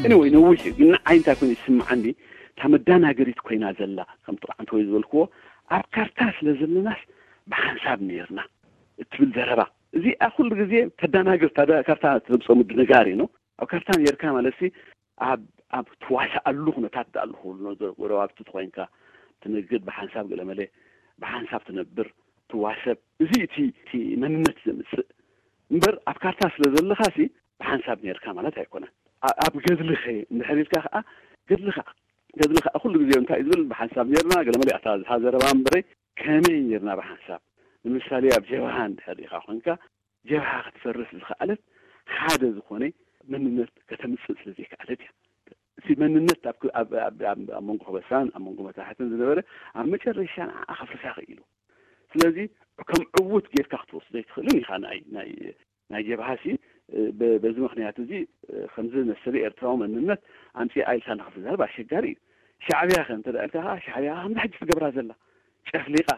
Anyway፣ ነዊሕ እዩ፣ ግን ንዓይ እንታይ ኮይኑ ይስምዓኒ፣ እታ መዳናገሪት ኮይና ዘላ፣ ከምቲ ኣንተ ወይ ዝበልክዎ፣ ኣብ ካርታ ስለ ዘለናስ ብሓንሳብ ነይርና እትብል ዘረባ፣ እዚኣ ኩሉ ግዜ ተዳናግር፣ እታ ካርታ ተምፅኦ ምድንጋር እዩ። ኣብ ካርታ ነርካ ማለት ሲ ኣብ ኣብ ትዋሳኣሉ ኩነታት ዳኣሉ ክብሉ፣ ጎረባብቲ ተኮይንካ ትንግድ ብሓንሳብ፣ ገለመለ ብሓንሳብ ትነብር፣ ትዋሰብ። እዚ እቲ እቲ መንነት ዘምፅእ እምበር፣ ኣብ ካርታ ስለ ዘለኻ ሲ ብሓንሳብ ነርካ ማለት ኣይኮነን። ኣ- ኣብ ገድልኸ እንድሕር ኢልካ ከዓ፣ ገድልኻ ገድልኻ ኩሉ ግዜ እንታይ እዩ ዝብል? ብሓንሳብ ነርና፣ ገለመለ እታ እታ ዘረባ እምበረይ፣ ከመይ ነርና ብሓንሳብ? ንምሳሌ ኣብ ጀብሃ እንድሕር ኢኻ ኮንካ፣ ጀብሃ ክትፈርስ ዝኸኣለት ሓደ ዝኾነ መንነት ከተምፅእ ስለ ዘይከኣለት እያ። እቲ መንነት ኣብ ክ- ኣብ ኣብ- ኣብ- ኣብ መንጎ ከበሳን ኣብ መንጎ መታሕትን ዝነበረ፣ ኣብ መጨረሻ ንዓ ከፍርሳ ክኢሉ። ስለዚ ከም ዕዉት ጌርካ ክትወስዶ ኣይትኽእልን ኢኻ። ናይ ናይ ናይ ጀብሃ ሲ ብ- በዚ ምኽንያት እዚ፣ ከምዚ መሰለ ኤርትራዊ መንነት ኣምፂኣ ኢልካ ንኽትዛረብ ኣሸጋሪ እዩ። ሻዕብያ ከ እንተ ኢልካ ከዓ፣ ሻዕብያ ከምዚ ሕጂ ትገብራ ዘላ፣ ጨፍሊቃ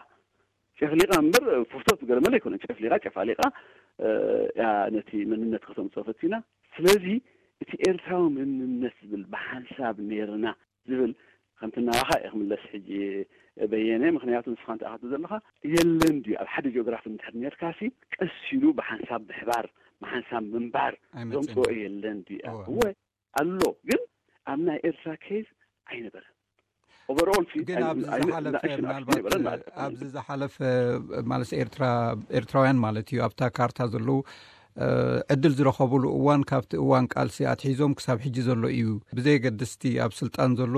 ጨፍሊቃ እምበር፣ ፍርሶት ገለመለ ኣይኮነን። ጨፍሊቃ ጨፋሊቃ እያ ነቲ መንነት ከተምፅኦ ፈቲና። ስለዚ እቲ ኤርትራዊ መንነት ዝብል፣ ብሓንሳብ ነይርና ዝብል፣ ከምቲ ናባኻ እየ ክምለስ ሕጂ፣ በየነ። ምኽንያቱ ንስኻ እንታይ ክትብል ዘለኻ፣ የለን ድዩ ኣብ ሓደ ጂኦግራፊ እንድሕር ነርካሲ፣ ቀስ ኢሉ ብሓንሳብ ምሕባር፣ ብሓንሳብ ምንባር ኣይመፅእን። ዘምፅኦ የለን ድዩ? እወ። እወ ኣሎ፣ ግን ኣብ ናይ ኤርትራ ኬዝ ኣይነበረን። ኦቨርኦል ሲ ግን ኣብዚ ዝሓለፈ ምናልባት ኣብዚ ዝሓለፈ ማለት ኤርትራ ኤርትራውያን ማለት እዩ፣ ኣብታ ካርታ ዘለዉ ዕድል ዝረኸብሉ እዋን ካብቲ እዋን ቃልሲ ኣትሒዞም ክሳብ ሕጂ ዘሎ እዩ። ብዘየገድስቲ ኣብ ስልጣን ዘሎ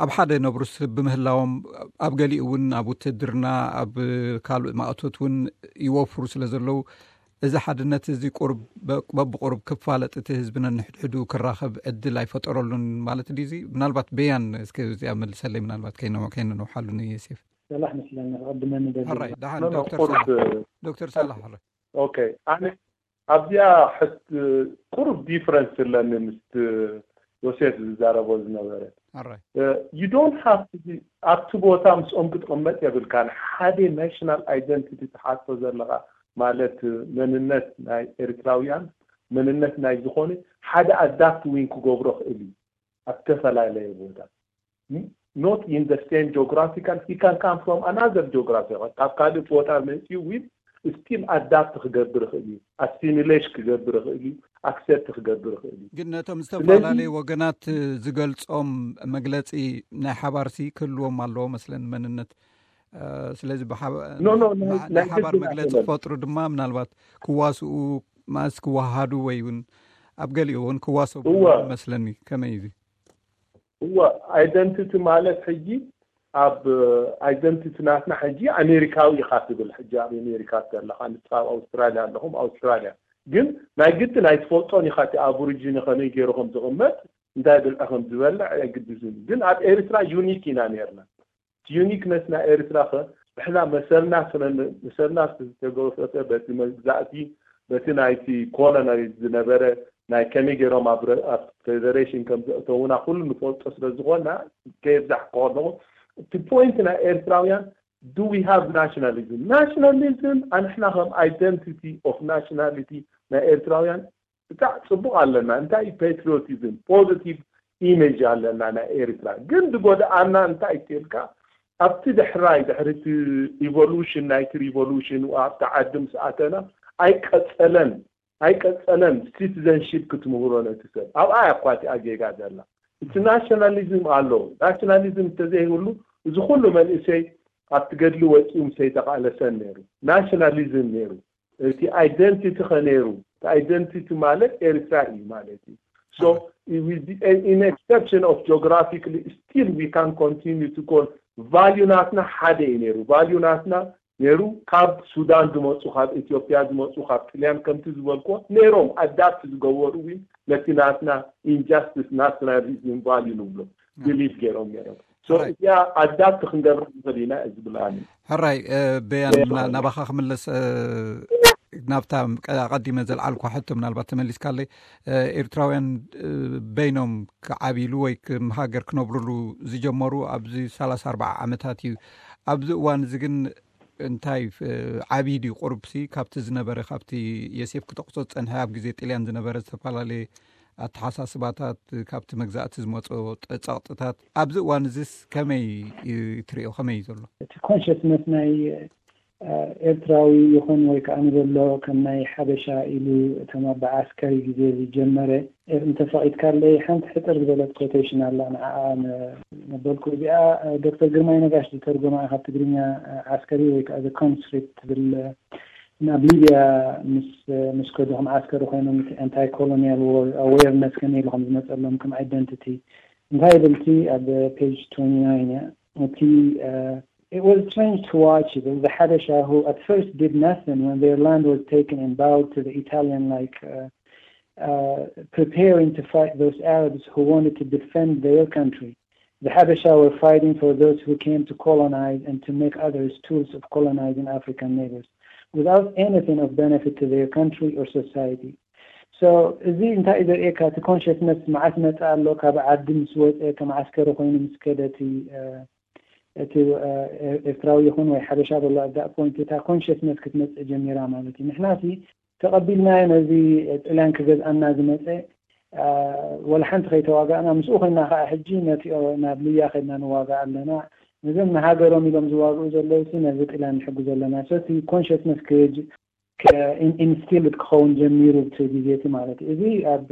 ኣብ ሓደ ነብሩስ ብምህላዎም፣ ኣብ ገሊኡ እውን ኣብ ውትድርና፣ ኣብ ካልእ ማእቶት እውን ይወፍሩ ስለ ዘለዉ፣ እዚ ሓድነት እዚ ቁርብ በብቁርብ ክፋለጥ፣ እቲ ህዝቢ ነንሕድሕዱ ክራኸብ ዕድል ኣይፈጠረሉን ማለት ድዩ? እዚ ምናልባት በያን እስከ እዚኣ መልሰለይ፣ ምናልባት ከይነ- ከይነንውሓሉ ንየሴፍ። ሰላሕ መስለኒ ክቕድመኒ ደሊ። ሕራይ ደሓን ዶክተር ሳላሕ። ዶክተር ሳላሕ ሕራይ። ኦኬ፣ ኣነ ኣብዚኣ ሕት ቁሩብ ዲፍረንስ ኣለኒ ምስ ዮሴፍ ዝዛረቦ ዝነበረ። ሕራይ። You don't have to be ኣብቲ ቦታ ምስኦም ክትቕመጥ የብልካን። ሓደ ናሽናል ኣይደንቲቲ ትሓቶ ዘለኻ ማለት መንነት ናይ ኤርትራውያን፣ መንነት ናይ ዝኾነ ሓደ ኣዳፕት ዊን ክገብሮ ክእል እዩ ኣብ ተፈላለየ ቦታ። Not in the same geographical, he can come from another geography. ካብ ካልእ ቦታ መፂኡ ዊን ስቲል ኣዳፕት ክገብር ይኽእል እዩ፣ ኣሲሚሌሽ ክገብር ይኽእል እዩ፣ ኣክሰፕት ክገብር ይኽእል እዩ። ግን ነቶም ዝተፈላለዩ ወገናት ዝገልጾም መግለጺ ናይ ሓባርሲ ክህልዎም ኣለዎ መስለኒ መንነት። ስለዚ ናይ ሓባር መግለጺ ክፈጥሩ ድማ ምናልባት ክዋስኡ ማስ ክወሃሃዱ ወይ እውን ኣብ ገሊኡ እውን ክዋሰቡ መስለኒ። ከመይ እዩ? እወ፣ ኣይደንቲቲ ማለት ሕጂ ኣብ ኣይደንቲቲ ናትና ሕጂ ኣሜሪካዊ ኢኻ ትብል። ሕጂ ኣብ ኣሜሪካ ዘለኻ ንስኻ ኣብ ኣውስትራልያ ኣለኹም ኣውስትራልያ፣ ግን ናይ ግዲ ናይ ትፈልጦን ኢኻ እቲ ኣቦሪጂኒ ከመይ ገይሩ ከም ዝቕመጥ እንታይ ብልዒ ከም ዝበልዕ ኣይግድዝን። ግን ኣብ ኤርትራ ዩኒክ ኢና ነርና። ዩኒክነስ ናይ ኤርትራ ከ ብሕና መሰልና ስለ መሰልና ዝተገፈፈ በቲ መግዛእቲ በቲ ናይቲ ኮሎናይዝ ዝነበረ ናይ ከመይ ገይሮም ኣብ ፌደሬሽን ከም ዘእተውና ኩሉ ንፈልጦ ስለ ዝኾና ከየብዛሕ ከለኹ እቲ ፖይንት ናይ ኤርትራውያን do we have nationalism? Nationalism ኣንሕና ከም identity of nationality ናይ ኤርትራውያን ብጣዕ ፅቡቕ ኣለና። እንታይ እዩ ፓትሪዮቲዝም ፖዚቲቭ ኢሜጅ ኣለና ናይ ኤርትራ። ግን ዝጎድኣና እንታይ እዩ ኢልካ ኣብቲ ድሕራይ ድሕሪ እቲ ኢቮሉሽን ናይቲ ሪቮሉሽን ኣብቲ ዓዲ ምስ ኣተና ኣይቀፀለን ኣይቀፀለን ሲቲዘንሺፕ ክትምህሮ ነቲ ሰብ ኣብኣ እያ እኳ እቲኣ ጌጋ ዘላ። እቲ ናሽናሊዝም ኣሎ። ናሽናሊዝም እንተዘይህሉ እዚ ኩሉ መንእሰይ ኣብቲ ገድሊ ወፂኡ ምስ ኣይተቃለሰን ነይሩ። ናሽናሊዝም ነይሩ። እቲ ኣይደንቲቲ ከ ነይሩ። እቲ ኣይደንቲቲ ማለት ኤርትራ እዩ ማለት እዩ። So with the exception of geographically still we can continue to call ቫልዩ ናትና ሓደ እዩ ነይሩ። ቫልዩ ናትና ነይሩ ካብ ሱዳን ዝመፁ ካብ ኢትዮጵያ ዝመፁ ካብ ጥልያን ከምቲ ዝበልኮ ነይሮም ኣዳፕት ዝገበሩ እውን ነቲ ናትና ኢንጃስቲስ ናሽናሊዝም ቫልዩ ንብሎ ብሊቭ ገይሮም ነይሮም። እዚኣ ኣዳፕት ክንገብር ንኽእል ኢና ዝብል ኣነ። ሕራይ በያን ናባኻ ክምለስ ናብታ ኣቐዲመ ዘልዓልኳ ሕቶ ምናልባት ተመሊስካለይ። ኤርትራውያን በይኖም ክዓብይሉ ወይ ሃገር ክነብርሉ ዝጀመሩ ኣብዚ ሰላሳ ኣርባዓ ዓመታት እዩ። ኣብዚ እዋን እዚ ግን እንታይ ዓብዪ ድዩ ቁርብሲ ካብቲ ዝነበረ ካብቲ የሴፍ ክጠቕሶ ዝፀንሐ ኣብ ግዜ ጥልያን ዝነበረ ዝተፈላለየ ኣተሓሳስባታት፣ ካብቲ መግዛእቲ ዝመጾ ጸቕጥታት ኣብዚ እዋን እዚስ ከመይ ትሪኦ? ከመይ እዩ ዘሎ? እቲ ኮንሽስነስ ናይ ኤርትራዊ ይኹን ወይ ከዓ ንበሎ ከም ናይ ሓበሻ ኢሉ እቶም ኣብ ዓስከሪ ግዜ ዝጀመረ፣ እንተፈቒድካለይ ሓንቲ ሕፅር ዝበለት ኮቴሽን ኣላ፣ ንዓኣ ነበልኩ። እዚኣ ዶክተር ግርማይ ነጋሽ ዝተርጎማ ካብ ትግርኛ። ዓስከሪ ወይ ከዓ ኮንስክሪፕት ትብል፣ ናብ ሊብያ ምስ ምስ ከዱ ከም ዓስከሪ ኮይኖም፣ ኣንታይ ኮሎኒያል ዎር ኣዌርነስ ከመይ ኢሉ ከም ዝመፀሎም፣ ከም ኣይደንቲቲ እንታይ ይብል እቲ ኣብ ፔጅ ትወንቲ ናይን እያ። እቲ It was strange to watch the Habesha, who at first did nothing when their land was taken and bowed to the Italian, like uh, uh, preparing to fight those Arabs who wanted to defend their country. The Habesha were fighting for those who came to colonize and to make others tools of colonizing African neighbors without anything of benefit to their country or society. So እዚ እንታይ እዩ ዘርእየካ? እቲ ኮንሽስነስ መዓስ መፀ ኣሎ? ካብ ዓዲ ምስ ወፀ፣ ከም ዓስከሪ ኮይኑ ምስ ከደ እቲ እቲ ኤርትራዊ ይኹን ወይ ሓበሻ በሎ፣ ኣዳእ ፖይንት እታ ኮንሽስነስ ክትመፅእ ጀሚራ ማለት እዩ። ንሕና ሲ ተቐቢልናዮ ነዚ ጥልያን ክገዝኣና ዝመፀ፣ ወላ ሓንቲ ከይተዋጋእና ምስኡ ኮይና ከዓ ሕጂ ነቲኦ ናብ ሊብያ ከድና ንዋጋ ኣለና። ነዞም ንሃገሮም ኢሎም ዝዋግኡ ዘለዉ ሲ ነዚ ጥልያን ንሕጉ ዘለና። ሰቲ ኮንሽስነስ ኢንስቲልድ ክኸውን ጀሚሩ ብቲ ግዜ እቲ ማለት እዩ። እዚ ኣብ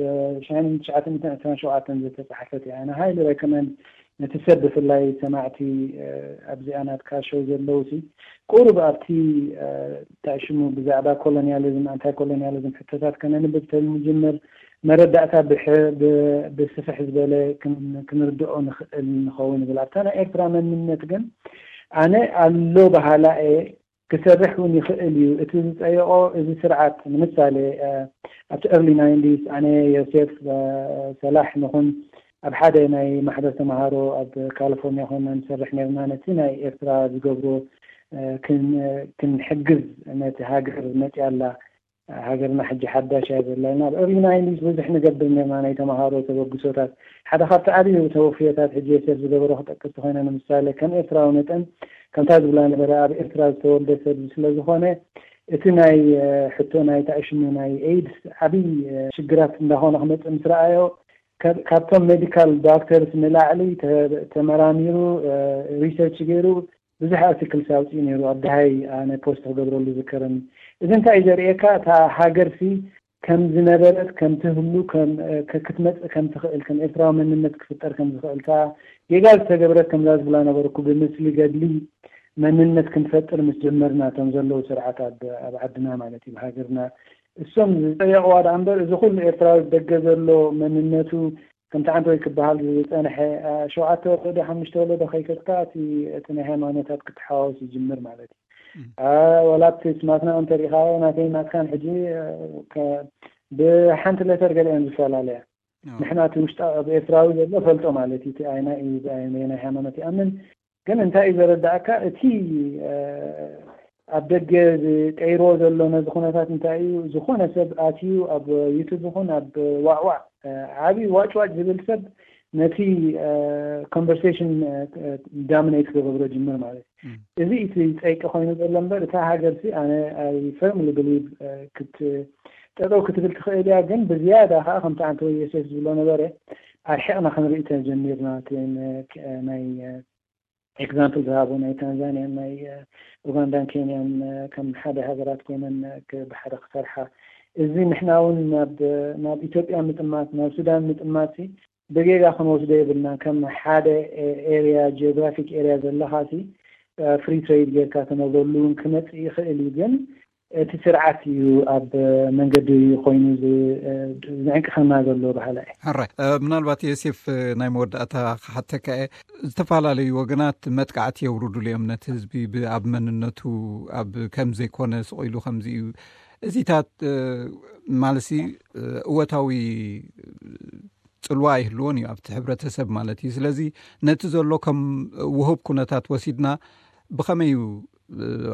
ሻይን ትሽዓተ ሚእትን ዕስራን ሸውዓተን ዝተፃሓፈት እያ። ኣነ ሃይሊ ሬኮመንድ ነቲ ሰብ ብፍላይ ሰማዕቲ ኣብዚኣ ናትካ ሾው ዘለዉ ሲ ቁሩብ ኣብቲ እንታይ ሽሙ ብዛዕባ ኮሎኒያሊዝም ኣንታይ ኮሎኒያሊዝም ሕቶታት ከነንብብ ተንጅምር መረዳእታ ብስፍሕ ዝበለ ክንርድኦ ንኽእል ንኸውን ይብል። ኣብታ ናይ ኤርትራ መንነት ግን ኣነ ኣሎ በሃላ እየ ክሰርሕ እውን ይኽእል እዩ። እቲ ዝፀየቆ እዚ ስርዓት ንምሳሌ ኣብቲ ኤርሊ ናይንቲስ ኣነ ዮሴፍ ሰላሕ ንኹን ኣብ ሓደ ናይ ማሕበር ተምሃሮ ኣብ ካሊፎርኒያ ኮይና ንሰርሕ ነርና። ነቲ ናይ ኤርትራ ዝገብሮ ክንሕግዝ ነቲ ሃገር መፅያ ኣላ ሃገርና ሕጂ ሓዳሽ እያ ዘላ ኢልና ኣብ ኤርሊ ናይንቲስ ብዙሕ ንገብር ነርና። ናይ ተምሃሮ ተበግሶታት ሓደ ካብቲ ዓብዪ ተወፍዮታት ሕጂ ዮሴፍ ዝገበሮ ክጠቅስ ተኮይነ ንምሳሌ ከም ኤርትራዊ መጠን ከምታ ዝብላ ነበረ ኣብ ኤርትራ ዝተወልደ ሰብ ስለዝኾነ እቲ ናይ ሕቶ ናይ ታእሽሙ ናይ ኤድስ ዓብዪ ሽግራት እንዳኾነ ክመፅእ ምስ ረኣዮ ካብቶም ሜዲካል ዶክተርስ ንላዕሊ ተመራሚሩ ሪሰርች ገይሩ ብዙሕ ኣርቲክልስ ኣውፅኡ ነይሩ። ኣብ ደሃይ ኣነ ፖስት ክገብረሉ ዝከረኒ። እዚ እንታይ እዩ ዘርእየካ? እታ ሃገርሲ ከም ዝነበረት ከም ትህሉ ክትመፅእ ከም ትኽእል ከም ኤርትራዊ መንነት ክፍጠር ከም ዝኽእል እታ ጌጋ ዝተገብረት ከምዛ ዝብላ ነበርኩ ብምስሊ ገድሊ መንነት ክንፈጥር ምስ ጀመርና እቶም ዘለዉ ስርዓት ኣብ ዓድና ማለት እዩ ሃገርና እሶም ዝፀየቕዋ ደኣ እምበር እዚ ኩሉ ኤርትራዊ ደገ ዘሎ መንነቱ ከምቲ ዓንተ ወይ ክበሃል ዝፀንሐ ሸውዓተ ወለዶ ሓሙሽተ ወለዶ ከይከድካ እቲ እቲ ናይ ሃይማኖታት ክትሓዋወስ ይጅምር ማለት እዩ። ወላ ኣብቲ ስማትና እንተሪኢኻዮ ናተይ ናትካን ሕጂ ብሓንቲ ሌተር ገለ እየን ዝፈላለያ። ንሕና እቲ ውሽጣ ኣብ ኤርትራዊ ዘሎ ፈልጦ ማለት እዩ። እቲ ኣይና ናይ ሃይማኖት ይኣምን ግን እንታይ እዩ ዘረዳእካ እቲ ኣብ ደገ ዝቀይርዎ ዘሎ ነዚ ኩነታት እንታይ እዩ ዝኾነ ሰብ ኣትዩ ኣብ ዩቱብ ይኹን ኣብ ዋዕዋዕ ዓብዪ ዋጭዋጭ ዝብል ሰብ ነቲ ኮንቨርሴሽን ዳሚኔት ክገብሮ ጅምር ማለት እዩ። እዚ እቲ ፀይቂ ኮይኑ ዘሎ እምበር እታ ሃገር ሲ ኣነ ፈርምሊ ብሊቭ ጠጠው ክትብል ትኽእል እያ። ግን ብዝያዳ ከዓ ከምቲ ኣንተ ዮሴፍ ዝብሎ ነበረ ኣርሒቕና ክንርኢ ተጀሚርና ናይ ኤግዛምፕል ዝሃቡ ናይ ታንዛንያን ናይ ኡጋንዳን ኬንያን ከም ሓደ ሃገራት ኮይነን ብሓደ ክሰርሓ እዚ ንሕና እውን ናብ ኢትዮጵያ ምጥማት ናብ ሱዳን ምጥማት ብጌጋ ክንወስዶ የብልና። ከም ሓደ ኤሪያ ጂኦግራፊክ ኤሪያ ዘለካ ሲ ፍሪ ትሬድ ጌርካ ትነብረሉ እውን ክመፅእ ይኽእል እዩ። ግን እቲ ስርዓት እዩ ኣብ መንገዲ ኮይኑ ዝዕንቅኸና ዘሎ ባህላ እዩ። ሕራይ ምናልባት ዮሴፍ ናይ መወዳእታ ክሓተካ እየ። ዝተፈላለዩ ወገናት መጥቃዕቲ የውርዱሉ እዮም ነቲ ህዝቢ ኣብ መንነቱ ኣብ ከም ዘይኮነ ስቕ ኢሉ ከምዚ እዩ እዚታት ማለሲ እወታዊ ፅልዋ ኣይህልዎን እዩ ኣብቲ ሕብረተሰብ ማለት እዩ። ስለዚ ነቲ ዘሎ ከም ውሁብ ኩነታት ወሲድና ብኸመይ እዩ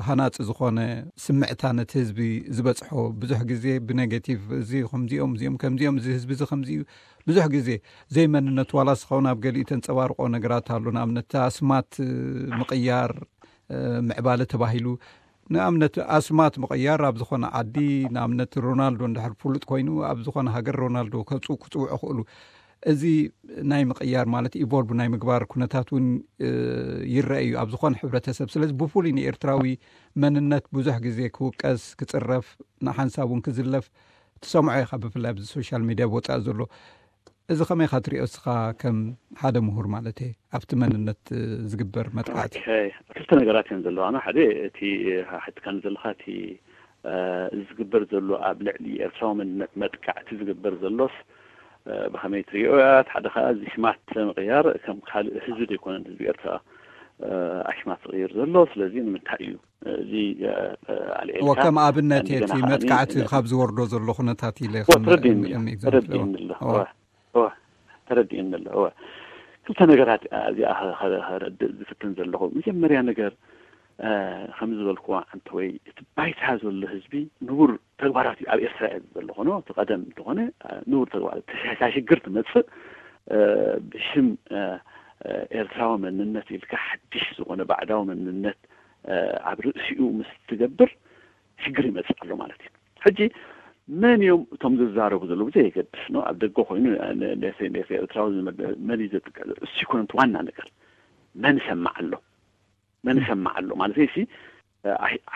ሃናፂ ዝኾነ ስምዕታ ነቲ ህዝቢ ዝበፅሖ? ብዙሕ ግዜ ብኔጌቲቭ እዚ ከምዚኦም እዚኦም ከምዚኦም እዚ ህዝቢ እዚ ከምዚ እዩ ብዙሕ ግዜ ዘይመንነቱ ዋላ ስኸውን ኣብ ገሊኡ ተንፀባርቆ ነገራት ኣሎ። ንኣብነት ኣስማት ምቕያር ምዕባለ ተባሂሉ ንኣብነት ኣስማት ምቕያር ኣብ ዝኾነ ዓዲ፣ ንኣብነት ሮናልዶ እንድሕር ፍሉጥ ኮይኑ ኣብ ዝኾነ ሃገር ሮናልዶ ከጽው ክጽውዑ ክእሉ፣ እዚ ናይ ምቕያር ማለት ኢቮልቭ ናይ ምግባር ኩነታት እውን ይረአ እዩ ኣብ ዝኾነ ሕብረተሰብ። ስለዚ ብፍሉይ ንኤርትራዊ መንነት ብዙሕ ግዜ ክውቀስ፣ ክጽረፍ፣ ንሓንሳብ እውን ክዝለፍ ትሰምዖ ኢኻ፣ ብፍላይ ኣብዚ ሶሻል ሚድያ ብወፃኢ ዘሎ። እዚ ከመይ ኢኻ ትሪኦ እስኻ ከም ሓደ ምሁር ማለት እየ ኣብቲ መንነት ዝግበር መጥቃዕቲ? ክልተ ነገራት እየን ዘለዋና። ሓደ እቲ ሓትካኒ ዘለካ እቲ ዝግበር ዘሎ ኣብ ልዕሊ ኤርትራዊ መንነት መጥቃዕቲ ዝግበር ዘሎስ ብከመይ ትሪኦ እያ? ሓደ ከዓ እዚ ሽማት ምቕያር ከም ካልእ ህዝቢ ዘይኮነን ህዝቢ ኤርትራ ኣሽማት ዝቕይር ዘሎ። ስለዚ ንምንታይ እዩ እዚ ኣልዒልካ ከም ኣብነት እቲ መጥቃዕቲ ካብ ዝወርዶ ዘሎ ኩነታት ኢለ ተረዲእኒ ኣሎ። ተረዲእኒ ኣሎ። ክልተ ነገራት እዚኣ ከረድእ ዝፍትን ዘለኹ። መጀመርያ ነገር ከም ዝበልኩዎ ዓንተ ወይ እቲ ባይታ ዘሎ ህዝቢ ንቡር ተግባራት እዩ ኣብ ኤርትራ እየ ዘሎ ኮኖ እቲ ቀደም እንተኾነ ንቡር ተግባራት ተሻሽግር ትመፅእ ብሽም ኤርትራዊ መንነት ኢልካ ሓድሽ ዝኾነ ባዕዳዊ መንነት ኣብ ርእሲኡ ምስ ትገብር ሽግር ይመፅእ ኣሎ ማለት እዩ። ሕጂ መን እዮም እቶም ዝዛረቡ ዘለዉ ብዘየገድስ ነው ኣብ ደገ ኮይኑ ኤርትራዊ መን እዩ ዘጥቅዕ እሱ ይኮነ ዋና ነገር መን ይሰማዕ ኣሎ መን ይሰማዕ ኣሎ ማለት ሲ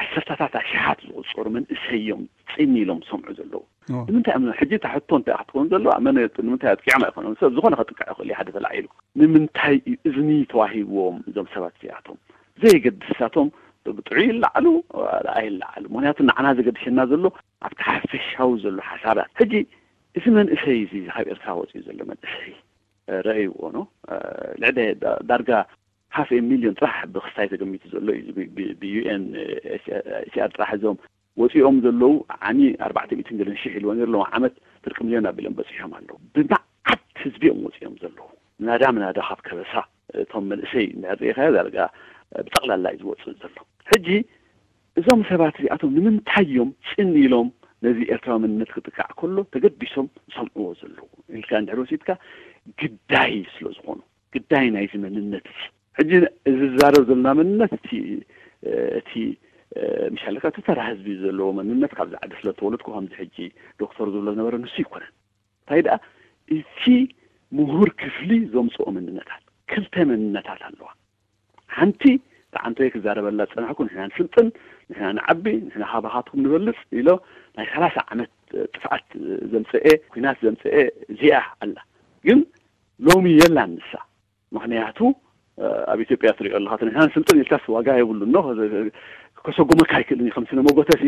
ዓሰርታታት ኣሽሓት ዝቁፀሩ መንእሰይ እዮም ፅን ኢሎም ዝሰምዑ ዘለዉ። ንምንታይ ሕጂ እታ ሕቶ እንታይ ክትከውን ዘለዋ መን ንምንታይ ኣጥቂዖም ኣይኮነም ሰብ ዝኾነ ከጥቅዕ ይኽእል ሓደ ተላዒሉ ንምንታይ እዩ እዝኒ ተዋሂብዎም እዞም ሰባት እዚኣቶም ዘይገድሳቶም ብጥዑይ ይለዓሉ ኣይለዓሉ ምክንያቱ ንዓና ዘገድሸና ዘሎ ኣብቲ ሓፈሻዊ ዘሎ ሓሳባት ሕጂ እዚ መንእሰይ እዚ ካብ ኤርትራ ወፅኡ ዘሎ መንእሰይ ረእይዎ ነው ልዕሊ ዳርጋ ሃፍ ሚሊዮን ጥራሕ ብክስታይ ተገሚቱ ዘሎ እዩ ብዩኤን ኤችሲኣር ጥራሕ እዞም ወፂኦም ዘለዉ ዓሚ ኣርባዕተ ሚእትን ገለን ሽሕ ኢልዎ ነሩ ኣለዉ ዓመት ፍርቂ ሚሊዮን ኣቢሎም በፂሖም ኣለዉ ብመዓት ህዝቢ እዮም ወፂኦም ዘለዉ ምናዳ ምናዳ ካብ ከበሳ እቶም መንእሰይ እንድሕር ርኢኻዮ ዳርጋ ብጠቕላላ እዩ ዝወፅእ ዘሎ ሕጂ እዞም ሰባት እዚኣቶም ንምንታይ እዮም ፅን ኢሎም ነዚ ኤርትራዊ መንነት ክጥቃዕ ከሎ ተገዲሶም ዝሰምዕዎ ዘለዉ ኢልካ እንድሕር ወሲድካ ግዳይ ስለ ዝኾኑ ግዳይ ናይዚ መንነት እዚ ሕጂ እዚ ዝዛረብ ዘለና መንነት እቲ እቲ ምሻለካ እቲ ተራ ህዝቢ ዘለዎ መንነት ካብዚ ዓዲ ስለ ተወለድኩ ከምዚ ሕጂ ዶክተር ዝብሎ ዝነበረ ንሱ ይኮነን እንታይ ደኣ እቲ ምሁር ክፍሊ ዘምፅኦ መንነታት ክልተ መንነታት ኣለዋ ሓንቲ ተዓንቶይ ክዛረበላ ዝፀናሕኩ ንሕና ንስልጥን ንሕና ንዓቢ ንሕና ካባኻትኩም ንበልፅ ኢሎ ናይ ሰላሳ ዓመት ጥፍኣት ዘምፀኤ ኩናት ዘምፀኤ እዚኣ ኣላ ግን ሎሚ የላን ንሳ ምክንያቱ ኣብ ኢትዮጵያ ትሪኦ ኣለካ ንሕና ንስልጥን ኢልካስ ዋጋ የብሉ ኖ ከሰጉመካ ኣይክእልን እዩ ከም ስነ መጎተሲ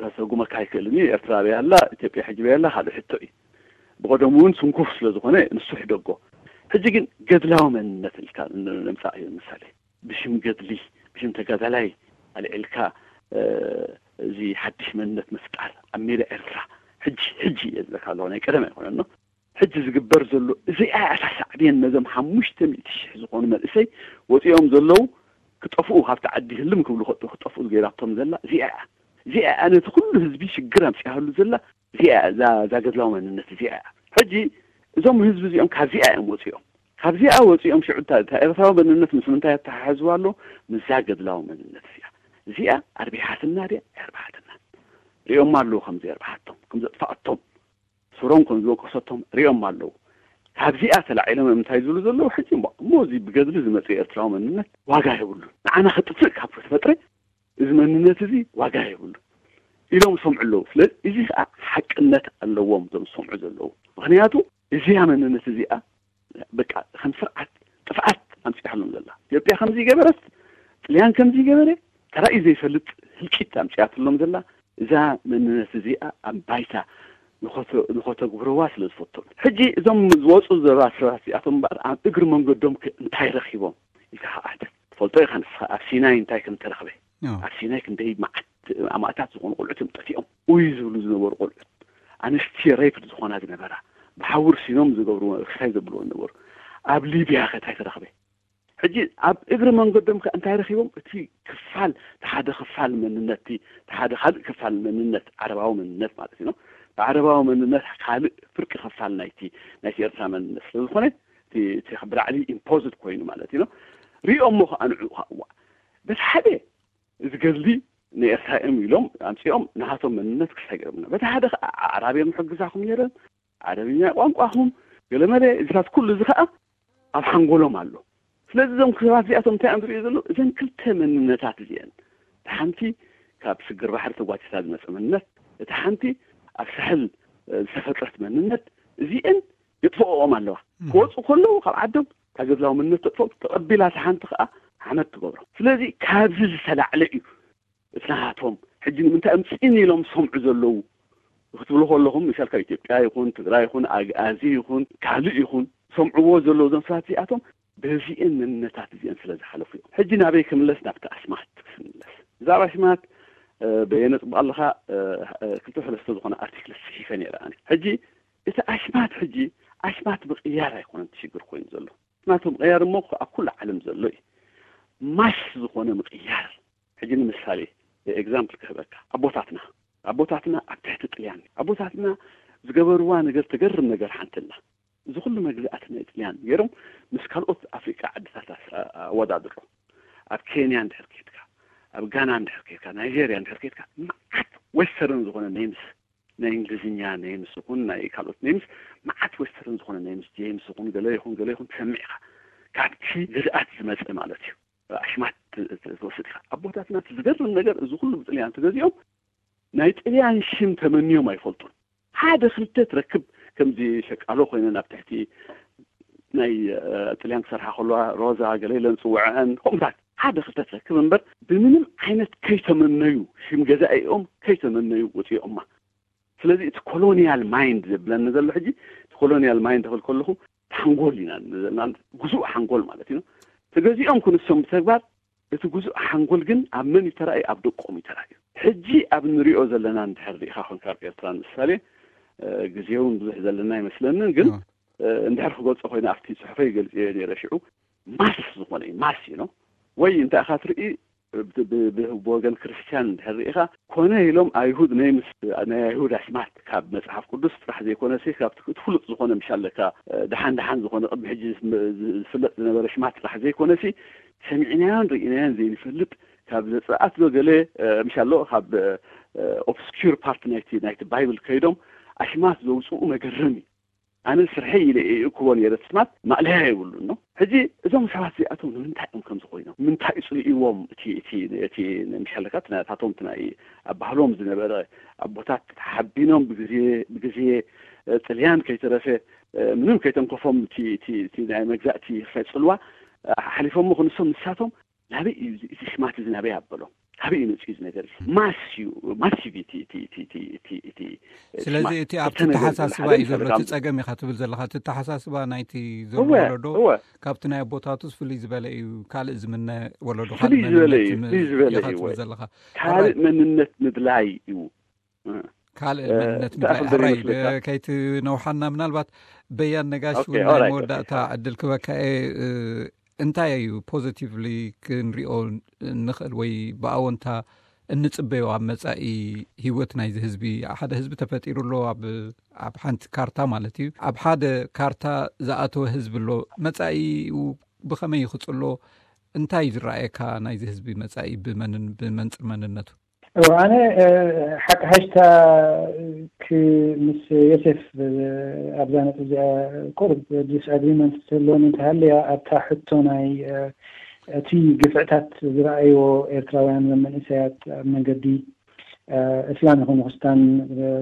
ከሰጉመካ ኣይክእልን እዩ ኤርትራ በይ ኣላ ኢትዮጵያ ሕጂ በይ ኣላ ካልእ ሕቶ እዩ ብቀደሙ እውን ስንኩፍ ስለ ዝኾነ ንሱ ሕደጎ ሕጂ ግን ገድላዊ መንነት ኢልካ ንምፃእ እዩ ምሳሌ ብሽም ገድሊ ብሽም ተጋዳላይ ኣልዒልካ እዚ ሓድሽ መንነት ምፍጣር ኣብ ሜዳ ኤርትራ ሕጂ ሕጂ እየ ዝብለካ ኣለኹ ናይ ቀደም ኣይኮነኖ ሕጂ ዝግበር ዘሎ እዚኣ እያ ሳዕቤን ነዞም ሓሙሽተ ሚእቲ ሽሕ ዝኾኑ መንእሰይ ወፂኦም ዘለዉ ክጠፍኡ ካብቲ ዓዲ ህልም ክብሉ ክጠፍኡ ዝገይራቶም ዘላ እዚኣ እያ እዚኣ እያ ነቲ ኩሉ ህዝቢ ሽግር ኣምፅያሉ ዘላ እዚኣ እያ እዛ ገድላዊ መንነት እዚኣ እያ ሕጂ እዞም ህዝቢ እዚኦም ካብዚኣ እዮም ወፂኦም ካብዚኣ ወፂኦም ሽዑ እታ ኤርትራዊ መንነት ምስ ምንታይ ኣተሓሕዝዋ ኣሎ ምስዛ ገድላዊ መንነት እዚኣ እዚኣ ኣርቢሓትና ድያ ኣርባሓትና ሪኦማ ኣለዉ ከም ዘርባሓቶም ከም ዘጥፋኣቶም ስሮም ከም ዝወቀሰቶም ሪኦም ኣለዉ ካብዚኣ ተላዒሎም እዮም እንታይ ዝብሉ ዘለዉ ሕጂ እሞ እዚ ብገድሊ ዝመፅእ ኤርትራዊ መንነት ዋጋ የብሉን ንዓና ክጥፍእ ካብ ተፈጥረ እዚ መንነት እዚ ዋጋ የብሉን ኢሎም ዝሰምዑ ኣለዉ ስለዚ እዚ ከዓ ሓቅነት ኣለዎም እዞም ዝሰምዑ ዘለዉ ምክንያቱ እዚኣ መንነት እዚኣ በቃ ከም ስርዓት ጥፍኣት ኣምፅኣሎም ዘላ ኢትዮጵያ ከምዚ ገበረት ጥልያን ከምዚ ገበረ ተራእዩ ዘይፈልጥ ህልቂት ኣምፅኣትሎም ዘላ እዛ መንነት እዚኣ ኣብ ባይታ ንኸተግብርዋ ስለ ዝፈቶም ሕጂ እዞም ዝወፁ ዘባ ሰባት እዚኣቶም እምበኣር ኣብ እግሪ መንገዶም እንታይ ረኪቦም ኢልካ ከዓተ ትፈልጦ ኢኻ ንስኻ ኣብ ሲናይ እንታይ ከም ተረኽበ ኣብ ሲናይ ክንደይ መዓት ኣማእታት ዝኾኑ ቆልዑት እዮም ጠፊኦም ውይ ዝብሉ ዝነበሩ ቆልዑት ኣንስቲ ሬፕድ ዝኾና ዝነበራ ብሓውር ሲኖም ዝገብርዎ ክሳይ ዘብልዎ ዝነበሩ ኣብ ሊብያ ከታይ ተረኽበ ሕጂ ኣብ እግሪ መንገዶም ከ እንታይ ረኺቦም እቲ ክፋል ሓደ ክፋል መንነት ሓደ ካልእ ክፋል መንነት ዓረባዊ መንነት ማለት እዩ ዓረባዊ መንነት ካልእ ፍርቂ ክፋል ናይቲ ናይቲ ኤርትራ መንነት ስለ ዝኾነ እቲ ብላዕሊ ኢምፖዝድ ኮይኑ ማለት እዩ ሪኦሞ ከዓ ንዑ ከዓ እዋ በቲ ሓደ እዚ ገድሊ ንኤርትራ እዮም ኢሎም ኣምጺኦም ናሃቶም መንነት ክሳይ ገይሮምና። በቲ ሓደ ከዓ ኣዕራብ እዮም ሕግዛኹም ነይረን፣ ዓረብኛ ቋንቋኹም፣ ገለመለ፣ እዚታት ኩሉ እዚ ከዓ ኣብ ሓንጎሎም ኣሎ። ስለዚ እዞም ሰባት እዚኣቶም እንታይ እዮም ዝርእዩ ዘለዉ? እዘን ክልተ መንነታት እዚአን፣ እቲ ሓንቲ ካብ ስግር ባሕሪ ተጓቲታ ዝመፀ መንነት፣ እቲ ሓንቲ ኣብ ሳሕል ዝተፈጥረት መንነት፣ እዚአን የጥፍኦም ኣለዋ። ክወፁ ከለዉ ካብ ዓዶም ካብ ገድላዊ መንነት ተጥፍኦም፣ ተቐቢላ እቲ ሓንቲ ከዓ ሓመድ ትገብሮ። ስለዚ ካብዚ ዝተላዕለ እዩ እቲ ናሃቶም። ሕጂ ንምንታይ እዮም ፅን ኢሎም ዝሰምዑ ዘለዉ ክትብሉ ከለኹም፣ ምሳል ካብ ኢትዮጵያ ይኹን ትግራይ ይኹን ኣግኣዚ ይኹን ካልእ ይኹን ሰምዕዎ ዘለዉ እዞም ሰባት እዚኣቶም በዚአን መንነታት እዚአን ስለ ዝሓለፉ እዮም። ሕጂ ናበይ ክምለስ? ናብቲ ኣሽማት ክምለስ። ብዛዕባ ኣሽማት በየነ ፅቡቅ ኣለካ። ክልተ ሰለስተ ዝኾነ ኣርቲክል ፅሒፈ ነይረ ኣነ። ሕጂ እቲ ኣሽማት ሕጂ ኣሽማት ምቕያር ኣይኮነን እቲ ሽግር ኮይኑ ዘሎ። ኣሽማት ምቕያር እሞ ኣብ ኩሉ ዓለም ዘሎ እዩ። ማስ ዝኾነ ምቕያር። ሕጂ ንምሳሌ ኤግዛምፕል ክህበካ፣ ኣቦታትና ኣቦታትና ኣብ ትሕቲ ጥልያን ኣቦታትና ዝገበርዋ ነገር፣ ተገርም ነገር ሓንቲ ኣላ። እዚ ኩሉ መግዛእቲ ናይ ጥልያን ገይሮም ምስ ካልኦት ኣፍሪቃ ዓድታት ኣወዳድሮ። ኣብ ኬንያ እንድሕር ከድካ፣ ኣብ ጋና እንድሕር ከድካ፣ ናይጀርያ እንድሕር ከድካ፣ መዓት ዌስተርን ዝኾነ ኔምስ፣ ናይ እንግሊዝኛ ኔምስ ይኹን ናይ ካልኦት ኔምስ፣ መዓት ዌስተርን ዝኾነ ኔምስ፣ ጄምስ ይኹን ገለ ይኹን ገለ ይኹን ትሰምዕ ኢኻ። ካብቲ ግዝኣት ዝመፀ ማለት እዩ። ኣሽማት ትወስድ ኢኻ። ኣቦታትና እቲ ዝገርም ነገር እዚ ኩሉ ብጥልያን ተገዚኦም ናይ ጥልያን ሽም ተመንዮም ኣይፈልጡን። ሓደ ክልተ ትረክብ፣ ከምዚ ሸቃሎ ኮይነን ኣብ ትሕቲ ናይ ጥልያን ክሰርሓ ከለዋ ሮዛ ገለ ኢለን ዝፅውዐአን ከምኡታት ሓደ ክልተ ትረክብ እምበር ብምንም ዓይነት ከይተመነዩ ሽም ገዛኢኦም ከይተመነዩ ወፂኦማ። ስለዚ እቲ ኮሎኒያል ማይንድ ዘብለኒ ዘሎ ሕጂ እቲ ኮሎኒያል ማይንድ ክብል ከለኹ ሓንጎል ኢና ዘለና፣ ግዙእ ሓንጎል ማለት እዩ። ተገዚኦም ክንሶም ብተግባር እቲ ግዙእ ሓንጎል ግን ኣብ መን እዩ ተራእዩ? ኣብ ደቆም እዩ ተራእዩ። ሕጂ ኣብ ንሪኦ ዘለና እንድሕር ርኢኻ ኮንካ ኣብ ኤርትራ ንምሳሌ ግዜ እውን ብዙሕ ዘለና ኣይመስለንን፣ ግን እንድሕር ክገልጾ ኮይነ ኣብቲ ጽሑፈይ ገልጽዮ ነይረ ሽዑ ማስ ዝኾነ እዩ ማስ እዩ ነው ወይ እንታይ ኢኻ ትርኢ ብወገን ክርስትያን እንድሕር ርኢኻ ኮነ ኢሎም ኣይሁድ ናይ ምስ ናይ ኣይሁድ ኣሽማት ካብ መጽሓፍ ቅዱስ ጥራሕ ዘይኮነሲ ካብ እቲ ፍሉጥ ዝኾነ ምሽ ኣለካ ደሓን ደሓን ዝኾነ ቅድሚ ሕጂ ዝፍለጥ ዝነበረ ሽማት ጥራሕ ዘይኮነሲ ሰሚዕናዮን ርኢናዮን ዘይንፈልጥ ካብ ዘጸኣት ዶ ገለ ምሽ ኣሎ ካብ ኦብስኪር ፓርት ናይቲ ናይቲ ባይብል ከይዶም ኣሽማት ዘውፅኡ መገረም እዩ። ኣነ ስርሐይ ኢለ እእክቦ ነይረ ስማት ማእለያ የብሉን ነው። ሕጂ እዞም ሰባት እዚኣቶም ንምንታይ እዮም ከምዚ ኮይኖም? ምንታይ እዩ ጽልእዎም? እቲ እቲ እቲ ምሻለካ ናታቶም ናይ ኣብ ባህሎም ዝነበረ ኣቦታት ሓቢኖም ብግዜ ብግዜ ጥልያን ከይተረፈ ምንም ከይተንከፎም እቲ እቲ ናይ መግዛእቲ ክሳይ ጽልዋ ሓሊፎሞ ክንሶም ንሳቶም ናበይ እዩ እዚ ሽማት እዚ ናበይ ኣበሎ? ካበይ እዩ መፅኡ እዚ ነገር እዚ? ማስ እዩ ማሲቪቲ እቲ እቲ እቲ እቲ እቲ እቲ ስለዚ እቲ ኣብቲ ተሓሳስባ እዩ ዘሎ እቲ ጸገም ኢኻ ትብል ዘለኻ እቲ ተሓሳስባ ናይቲ ዘሎ ወለዶ ካብቲ ናይ ኣቦታቱስ ፍልይ ዝበለ እዩ። ካልእ ዝምነ ወለዶ ፍልይ ዝበለ እዩ። ፍልይ ዝበለ እዩ። ትብል ዘለኻ ካልእ መንነት ምድላይ እዩ። ካልእ መንነት ምድላይ ሕራይ ከይትነውሓና ምናልባት በያን ነጋሽ እውን ናይ መወዳእታ ዕድል ክበካ እየ። እንታይ እዩ ፖዚቲቭሊ ክንሪኦ ንኽእል ወይ ብኣወንታ እንጽበዮ ኣብ መጻኢ ህይወት ናይዚ ህዝቢ? ሓደ ህዝቢ ተፈጢሩ ኣሎ ኣብ ኣብ ሓንቲ ካርታ ማለት እዩ። ኣብ ሓደ ካርታ ዝኣተወ ህዝቢ ኣሎ። መጻኢኡ ብኸመይ ይኽጽሎ? እንታይ ዝረኣየካ ናይዚ ህዝቢ መጻኢ ብመንን ብመንጽር መንነቱ? እወ ኣነ ሓቂ ሓሽታ ምስ ዮሴፍ ኣብዛ ነጥብ እዚኣ ቁሩብ ዲስኣግሪመንት ዘለኒ እንተሃለያ ኣብታ ሕቶ ናይ እቲ ግፍዕታት ዝረኣይዎ ኤርትራውያን መንእሰያት ኣብ መንገዲ እስላም ይኹን ክርስታን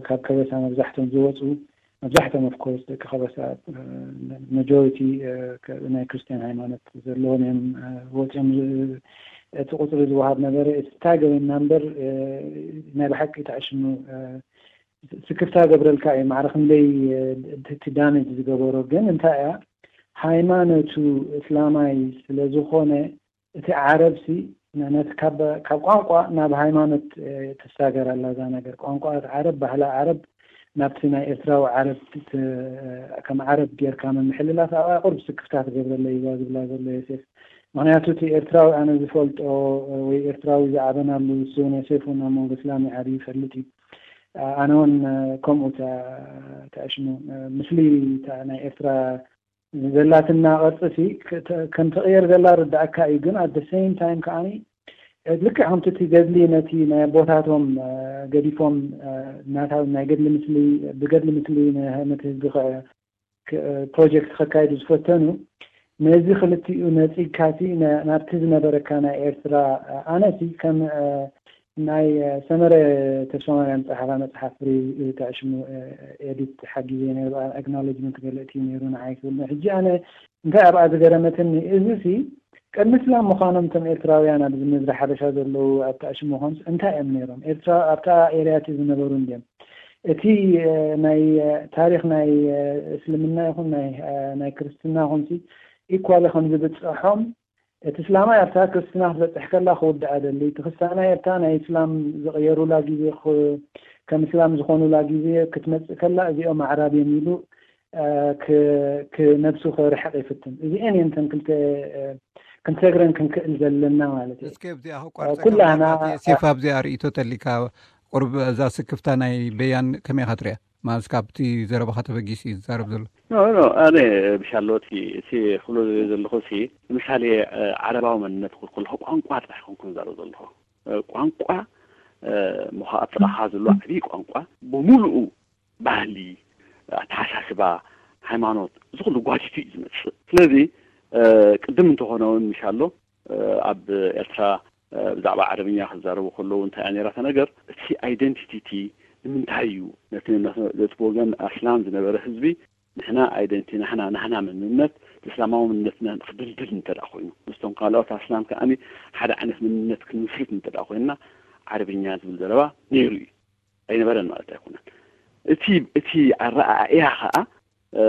ካብ ከበሳ መብዛሕቶም ዝወፁ መብዛሕቶም ኦፍኮርስ ደቂ ከበሳ መጆሪቲ ናይ ክርስትያን ሃይማኖት ዘለዎም እዮም ወፂኦም እቲ ቁፅሪ ዝወሃብ ነበረ። እቲ ታገበና እምበር ናይ ብሓቂ ተኣሽኑ ስክፍታ ገብረልካ እዩ። ማዕረ ክንደይ እቲ ዳሜጅ ዝገበሮ ግን እንታይ እያ ሃይማኖቱ እስላማይ ስለ ዝኾነ እቲ ዓረብሲ ነቲ ካብ ቋንቋ ናብ ሃይማኖት ትሳገር ኣላ እዛ ነገር። ቋንቋ ዓረብ፣ ባህሊ ዓረብ ናብቲ ናይ ኤርትራዊ ዓረብ ከም ዓረብ ጌርካ ምምሕልላፍ ኣብኣ ቁሩብ ስክፍታ ትገብረለይ እዛ ዝብላ ዘሎ ዮሴፍ። ምኽንያቱ እቲ ኤርትራዊ ኣነ ዝፈልጦ ወይ ኤርትራዊ ዝዓበናሉ እሱ እውን ዮሴፍ እውን ኣብ መንጎ እስላም ዓብዩ ይፈልጥ እዩ። ኣነ እውን ከምኡ ተኣሽሙ ምስሊ ናይ ኤርትራ ዘላትና ቅርፂ ሲ ከም ትቕየር ዘላ ርዳእካ እዩ። ግን ኣት ሴም ታይም ከዓኒ ልክዕ ከምቲ እቲ ገድሊ ነቲ ናይ ኣቦታቶም ገዲፎም ናታ ናይ ገድሊ ምስሊ ብገድሊ ምስሊ ነቲ ህዝቢ ፕሮጀክት ከካይዱ ዝፈተኑ፣ ነዚ ክልቲኡ ነፂግካሲ ናብቲ ዝነበረካ ናይ ኤርትራ ኣነሲ ከም ናይ ሰመረ ተስፋማርያም ፀሓፋ መፅሓፍ ሪቪው ተዕሽሙ ኤዲት ሓጊዘ ነይሩ። ኣክኖሎጅመንት ገለ እቲ ነይሩ ንዓይ ክብል ሕጂ ኣነ እንታይ ኣብኣ ዝገረመትኒ እዚ ሲ ቅድሚ እስላም ምዃኖም እቶም ኤርትራውያን ኣብዚ ምድሪ ሓበሻ ዘለዉ ኣብ ተዕሽሙ ምዃኑ እንታይ እዮም ነይሮም? ኤርትራ ኣብታ ኤርያ እቲ ዝነበሩ እንድዮም? እቲ ናይ ታሪኽ ናይ እስልምና ይኹን ናይ ክርስትና ይኹን ሲ ኢኳሊ ከም ዝብፅሖም እቲ እስላማይ ኣብታ ክርስትና ክትበፅሕ ከላ ክውድኣ ደሊ እቲ ክስታናይ ኣብታ ናይ እስላም ዝቕየሩላ ግዜ ከም እስላም ዝኾኑላ ግዜ ክትመፅእ ከላ እዚኦም ኣዕራብ እዮም ኢሉ ክነብሱ ክርሕቕ ይፍትን። እዚአን እየን እተን ክልተ ክንሰግረን ክንክእል ዘለና ማለት እዩ። እስከ ኣብዚኣ ክቋርፀካ ኩላህና ምናልባት ሴፍ ኣብዚኣ ርእይቶ ተሊካ ቁርብ እዛ ስክፍታ ናይ በያን ከመይ ኢኻ ትሪኣ? ማለት ካብቲ ዘረባኻ ተበጊሱ እዩ ዝዛረብ ዘሎ። ኖ ኖ ኣነ ብሻሎቲ እቲ ክብሎ ዘለ ዘለኹ ሲ ንምሳሌ ዓረባዊ መንነት ክብል ከለኹ ቋንቋ ጥራሕ ኮንኩ ዝዛረብ ዘለኹ ቋንቋ ምዃ ኣብ ጥቓኻ ዘሎ ዓብዪ ቋንቋ ብምሉኡ ባህሊ ኣተሓሳስባ ሃይማኖት እዚ ኩሉ ጓቲቱ እዩ ዝመፅእ። ስለዚ ቅድም እንተኾነ እውን ምሻሎ ኣብ ኤርትራ ብዛዕባ ዓረብኛ ክዛረቡ ከለዉ እንታይ እያ ነይራታ ነገር እቲ ኣይደንቲቲ እቲ ንምንታይ እዩ ነቲ ነቲ ብወገን ኣስላም ዝነበረ ህዝቢ ንሕና ኣይደንቲ ናሕና ናህና መንነት እስላማዊ መንነትና ክድልድል እንተ ደኣ ኮይኑ ምስቶም ካልኦት ኣስላም ከኣኒ ሓደ ዓይነት መንነት ክንምስርት እንተ ደኣ ኮይንና ዓረብኛ ዝብል ዘረባ ነይሩ እዩ ኣይነበረን ማለት ኣይኮነን እቲ እቲ ኣረኣእያ ከዓ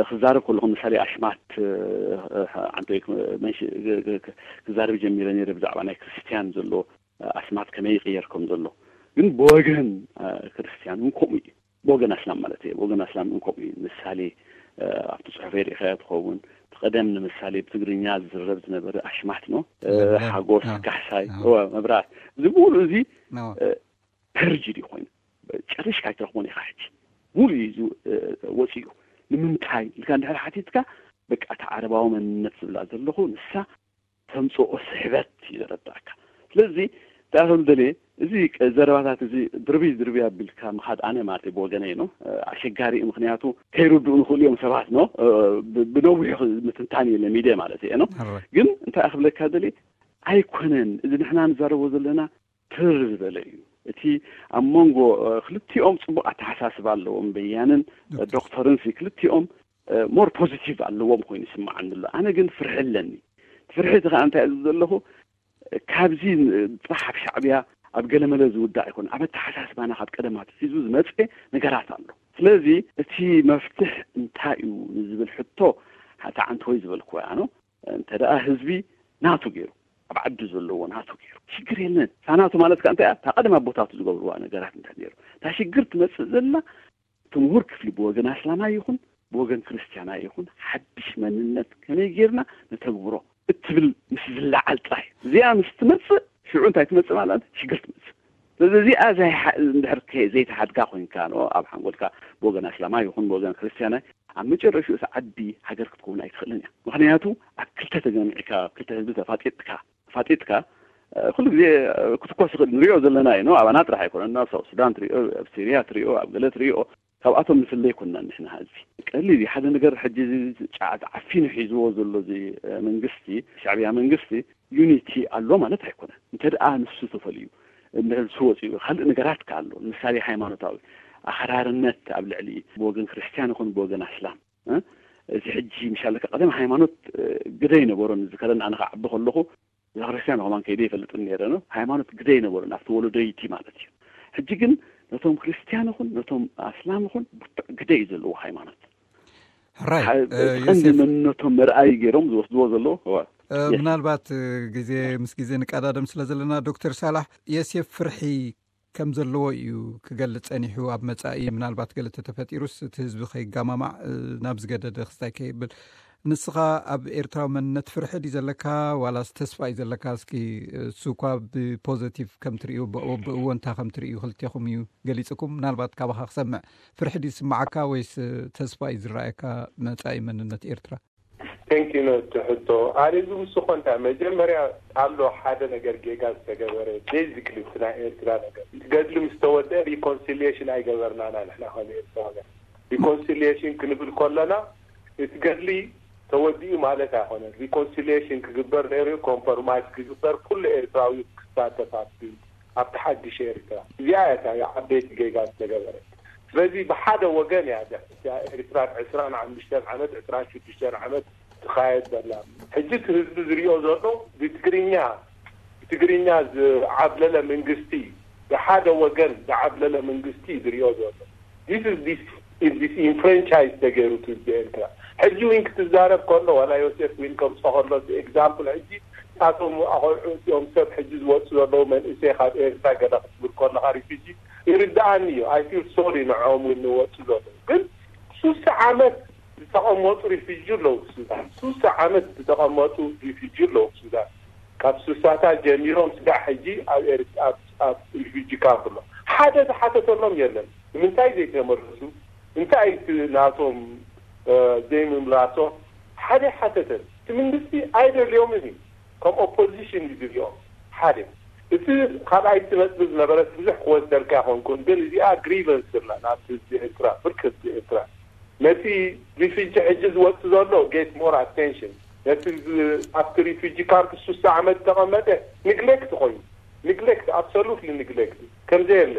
ክዛረብ ከለኹ ምሳሌ ኣሽማት ዓንቶይ ክዛረብ ጀሚረ ነይረ ብዛዕባ ናይ ክርስትያን ዘሎ ኣስማት ከመይ ይቕየር ከም ዘሎ ግን ብወገን ክርስትያን እውን ከምኡ እዩ ብወገን ኣስላም ማለት እየ ብወገን ኣስላም እውን ከምኡ እዩ ምሳሌ ኣብቲ ፅሑፈይ ርኢኻዮ ትኸውን ቀደም ንምሳሌ ብትግርኛ ዝዝረብ ዝነበረ ኣሽማት ነው ሓጎስ ካሕሳይ መብራት እዚ ብሙሉ እዚ ፐርጅድ ኮይኑ ጨሪሽካ ኣይትረኽቦን ኢኻ ሕጂ ሙሉ እዩ ወፂኡ ንምንታይ ኢልካ እንድሕር ሓቲትካ በቃ እቲ ዓረባዊ መንነት ዝብላ ዘለኹ ንሳ ተምፅኦ ስሕበት እዩ ዘረዳእካ ስለዚ እንታይ ከም ደልየ እዚ ዘረባታት እዚ ድርቢ ድርቢ ኣቢልካ ምኻድ ኣነ ማለት ብወገነይ ነው ኣሸጋሪ እዩ ምክንያቱ ከይርድኡ ንኽእሉ እዮም ሰባት ነው ብነዊሑ ምትንታን የለ ሚድያ ማለት እየ ነው ግን እንታይ ክብለካ ደልየ ኣይኮነን እዚ ንሕና ንዛረቦ ዘለና ትር ዝበለ እዩ እቲ ኣብ መንጎ ክልቲኦም ፅቡቅ ኣተሓሳስባ ኣለዎም በያንን ዶክተርን ክልቲኦም ሞር ፖዚቲቭ ኣለዎም ኮይኑ ይስምዓኒ ኣሎ ኣነ ግን ፍርሒ ኣለኒ ፍርሒ እቲ ከዓ እንታይ እዚ ዘለኹ ካብዚ ጥራሕ ኣብ ሻዕብያ ኣብ ገለመለ ዝውዳእ ኣይኮነ ኣብ ኣተሓሳስባና ካብ ቀደማት ሒዙ ዝመፀ ነገራት ኣሎ ስለዚ እቲ መፍትሕ እንታይ እዩ ንዝብል ሕቶ ተዓንተወይ ዝበልክዎ ኣኖ እንተ ደኣ ህዝቢ ናቱ ገይሩ ኣብ ዓዲ ዘለዎ ናቱ ገይሩ ሽግር የለን ሳናቱ ማለት ከ እንታይ እታ ቀደም ኣቦታቱ ዝገብርዋ ነገራት እንታይ ነይሩ እታ ሽግር ትመፅእ ዘላ እቲ ምሁር ክፍሊ ብወገን ኣስላማይ ይኹን ብወገን ክርስትያናይ ይኹን ሓድሽ መንነት ከመይ ጌርና ነተግብሮ እትብል ምስ ዝለዓል ጥራይ እዚኣ ምስ ትመፅእ ሽዑ እንታይ ትመፅእ ማለት ሽግር ትመፅእ ስለዚ እዚኣ እንድሕር ዘይተሓድጋ ኮይንካ ኣብ ሓንጎልካ ብወገን ኣስላማይ ይኹን ብወገን ክርስትያናይ ኣብ መጨረሽኡ እቲ ዓዲ ሃገር ክትከውን ኣይትኽእልን እያ ምክንያቱ ኣብ ክልተ ተገሚዕካ ክልተ ህዝቢ ተፋጢጥካ ተፋጢጥካ ኩሉ ግዜ ክትኮስ ይኽእል ንሪኦ ዘለና እዩ ኣባና ጥራሕ ኣይኮነን ኣብ ሳውት ሱዳን ትሪኦ ኣብ ሲርያ ትሪኦ ኣብ ገለ ትሪኦ ካብኣቶም ንፍለ ኣይኮንና ንሕና ህዝቢ ቀሊል እዩ ሓደ ነገር ሕጂ ጫዓት ዓፊኑ ሒዝዎ ዘሎ እዚ መንግስቲ ሻዕብያ መንግስቲ ዩኒቲ ኣሎ ማለት ኣይኮነን እንተ ደኣ ንሱ ተፈልዩ እንድሕር ንሱ ወፂኡ ካልእ ነገራት ከ ኣሎ ንምሳሌ ሃይማኖታዊ ኣኸራርነት ኣብ ልዕሊ ብወገን ክርስትያን ይኹን ብወገን ኣስላም እዚ ሕጂ ምሻለካ ቀደም ሃይማኖት ግደ ይነበሮን ዝከረን ኣነ ክዓቢ ከለኹ ቤተክርስትያን ከማን ከይደ ይፈልጥን ነረ ነው ሃይማኖት ግደ ይነበሮን ኣብቲ ወለዶይቲ ማለት እዩ ሕጂ ግን ነቶም ክርስትያን ይኹን ነቶም ኣስላም ይኹን ብርቱዕ ግደ እዩ ዘለዎ ሃይማኖት ሕራይ ቀንዲ መንነቶም መርኣይ ገይሮም ዝወስድዎ ዘለዉ ምናልባት ግዜ ምስ ግዜ ንቀዳደም ስለ ዘለና ዶክተር ሳላሕ የሴፍ ፍርሒ ከም ዘለዎ እዩ ክገልፅ ፀኒሑ ኣብ መፃኢ ምናልባት ገለ ተተፈጢሩስ እቲ ህዝቢ ከይጋማማዕ ናብ ዝገደደ ክስታይ ከይብል ንስኻ ኣብ ኤርትራዊ መንነት ፍርሒ ድዩ ዘለካ ዋላስ ተስፋ እዩ ዘለካ እስኪ እሱ እኳ ብፖዘቲቭ ከም ትርእዩ ብእወንታ ከም ትርእዩ ክልቴኹም እዩ ገሊፅኩም ምናልባት ካባኻ ክሰምዕ ፍርሒ ድዩ ዝስምዓካ ወይስ ተስፋ እዩ ዝረኣየካ መፃኢ መንነት ኤርትራ Thank you ነቲ ሕቶ። ኣነ ዝውስኾ እንታይ፣ መጀመርያ ኣሎ ሓደ ነገር ጌጋ ዝተገበረ፣ ቤዚክሊ እቲ ናይ ኤርትራ ነገር፣ እቲ ገድሊ ምስ ተወደአ ሪኮንሲሊየሽን ኣይገበርናና ንሕና ከም ኤርትራውያን። ሪኮንሲሊየሽን ክንብል ከለና እቲ ገድሊ ተወዲኡ ማለት ኣይኮነን። ሪኮንሲሊየሽን ክግበር ነይሩ፣ ኮምፕሮማይዝ ክግበር፣ ኩሉ ኤርትራዊ ክሳተፍ ኣብቲ ኣብቲ ሓድሽ ኤርትራ። እዚኣ እያ እታ ዓበይቲ ጌጋ ዝተገበረት። ስለዚ ብሓደ ወገን እያ እዛ ኤርትራ ዕስራን ሓሙሽተን ዓመት፣ ዕስራን ሽዱሽተን ዓመት ትኻየድ ዘላ። ሕጂ እቲ ህዝቢ ዝሪኦ ዘሎ ብትግርኛ፣ ብትግርኛ ዝዓብለለ መንግስቲ፣ ብሓደ ወገን ዝዓብለለ መንግስቲ ዝሪኦ ዘሎ። This is this is disenfranchise ተገይሩ እቲ ህዝቢ ኤርትራ። ሕጂ ዊን ክትዛረብ ከሎ፣ ዋላ ዮሴፍ ዊን ከምፅኦ ከሎ፣ ኤግዛምፕል፣ ሕጂ እሳቶም ኣቆልዑ እዚኦም ሰብ ሕጂ ዝወፁ ዘለዉ መንእሰይ ካብ ኤርትራ ገለ ክትብል ከለካ ሪፊጂ ይርድኣኒ እዩ። I feel sorry ንዕኦም እውን ንወፁ ዘለዉ። ግን ሱሳ ዓመት ዝተቐመጡ ሪፊጂ ኣለዉ ብሱዳን። ሱሳ ዓመት ዝተቐመጡ ሪፊጂ ኣለዉ ብሱዳን። ካብ ሱሳታት ጀሚሮም ስጋዕ ሕጂ ኣብ ኤርት-፣ ኣብ፣ ኣብ ሪፊጂ ካምፕ ኣሎ። ሓደ ዝሓተተሎም የለን። ንምንታይ ዘይተመለሱ? እንታይ እቲ ናቶም፣ እ፣ ዘይምምላሶም? ሓደ ሓተተን። እቲ መንግስቲ ኣይደልዮምን እዩ። ከም ኦፖዚሽን እዩ ዝሪኦም። ሓደ። እቲ ካልኣይቲ ነጥቢ ዝነበረት ብዙሕ ክወስደልካ ኣይኮንኩን፣ ግን እዚኣ ግሪቨንስ ኣላ ናብቲ ህዝቢ ኤርትራ፣ ብርክ ህዝቢ ኤርትራ። ነቲ ሪፊጂ ሕጂ ዝወጽእ ዘሎ ጌት ሞር ኣቴንሽን፣ ነቲ ዝ-፣ ኣብቲ ሪፊጂ ካምፕ ሱሳ ዓመት ዝተቐመጠ ንግሌክት ኮይኑ፣ ንግሌክት፣ ኣብሶሉትሊ ንግሌክት፣ ከምዘየለ።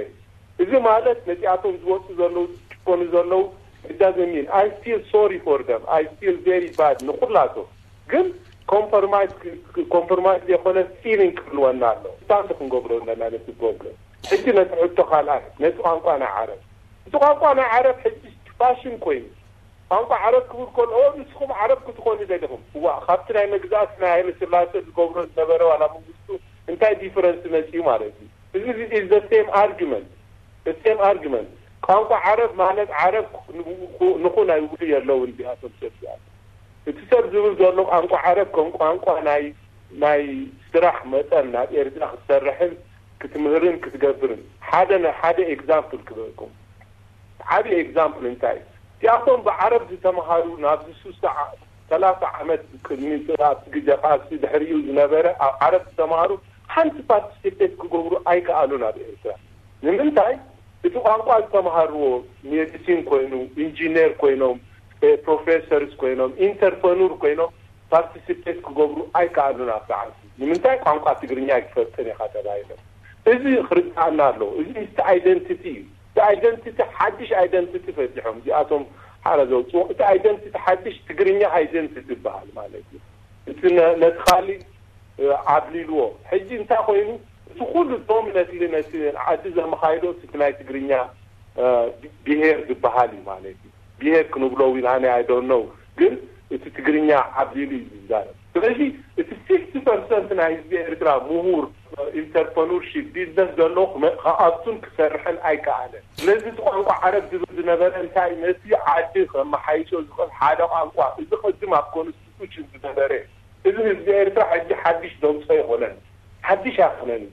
እዚ ማለት ነዚኣቶም ዝወጽኡ ዘለዉ፣ ዝጭቆኑ ዘለዉ፣ it doesn't mean, I feel sorry for them, I feel very bad ንኹላቶም። ግን ኮምፕሮማይዝ ክ-፣ ክ-፣ ኮምፕሮማይዝ ዘይኮነ ፊሊንግ ክህልወና ኣሎ። ስታንድ ክንገብሮ ኣለና ነቲ ፕሮብለም። ሕጂ ነቲ ሕቶ ካልኣይ፣ ነቲ ቋንቋ ናይ ዓረብ። እቲ ቋንቋ ናይ ዓረብ ሕጂ ፋሽን ኮይኑ፣ ቋንቋ ዓረብ ክብል ከሎ፣ "ኦ፣ ንስኹም ዓረብ ክትኾኑ ደሊኹም?" እዋ፣ ካብቲ ናይ መግዛእቲ ናይ ሃይለ ስላሴ ዝገብሮ ዝነበረ ዋላ መንግስቱ እንታይ ዲፈረንስ መጺኡ ማለት እዩ? እዚ is the same argument, the same argument። ቋንቋ ዓረብ ማለት ዓረብ ንኹ-፣ ንኹን ኣይብሉ የለውን እዚኣቶም ሰብ እዚኣቶም። እቲ ሰብ ዝብል ዘሎ ቋንቋ ዓረብ ከም ቋንቋ ናይ፣ ናይ ስራሕ መጠን ናብ ኤርትራ ክትሰርሕን ክትምህርን ክትገብርን። ሓደ ነ-፣ ሓደ ኤግዛምፕል ክበልኩም። ዓቢ ኤግዛምፕል እንታይ? እዚኣቶም ብዓረብ ዝተምሃሩ ናብዚ ሱሳ ዓ-፣ ሰላሳ ዓመት ቅድሚ ኣብቲ ግዜ ቃልሲ ድሕሪኡ ዝነበረ ኣብ ዓረብ ዝተምሃሩ ሓንቲ ፓርቲሲፔት ክገብሩ ኣይከኣሉን ኣብ ኤርትራ። ንምንታይ? እቲ ቋንቋ ዝተምሃርዎ ሜዲሲን ኮይኑ፣ ኢንጂነር ኮይኖም፣ እ፣ ፕሮፌሰርስ ኮይኖም፣ ኢንተርፕረኑር ኮይኖም ፓርቲሲፔት ክገብሩ ኣይከኣሉን ኣብቲ ዓዲ። ንምንታይ? ቋንቋ ትግርኛ ኣይትፈልጥን ኢኻ ተባሂሎም። እዚ ክርድኣና ኣለዎ። እዚ ምስቲ ኣይደንቲቲ እዩ። እቲ ኣይደንቲቲ ሓድሽ ኣይደንቲቲ ፈቲሖም እዚኣቶም ሓረ ዘውፅዎ። እቲ ኣይደንቲቲ ሓድሽ ትግርኛ ኣይደንቲቲ ይበሃል ማለት እዩ። እቲ ነ-፣ ነቲ ካሊእ፣ እ፣ ዓብሊልዎ። ሕጂ እንታይ ኮይኑ? እቲ ኩሉ ዶሚነትሊ ነቲ ዓዲ ዘመኻይዶ እቲ ናይ ትግርኛ፣ እ፣ ብሄር ዝበሃል እዩ ማለት እዩ። ብሄር ክንብሎ እውን ኣነ I don't know፣ ግን እቲ ትግርኛ ዓብሊሉ እዩ ዝዛረብ። ስለዚ እቲ ሲክስቲ ፐርሰንት ናይ ህዝቢ ኤርትራ ምሁር፣ ኢንተርፕረኑርሺፕ፣ ቢዝነስ ዘለዎ ክመ-፣ ክኣቱን ክሰርሕን ኣይከኣለን። ስለዚ እቲ ቋንቋ ዓረብ ዝብል ዝነበረ እንታይ፣ ነቲ ዓዲ ከመሓይሾ ዝኽእል ሓደ ቋንቋ፣ እዚ ቅድም ኣብ ኮንስቲቱሽን ዝነበረ፣ እዚ ህዝቢ ኤርትራ ሕጂ ሓድሽ ዘውፅኦ ኣይኮነን፣ ሓድሽ ኣይኮነን።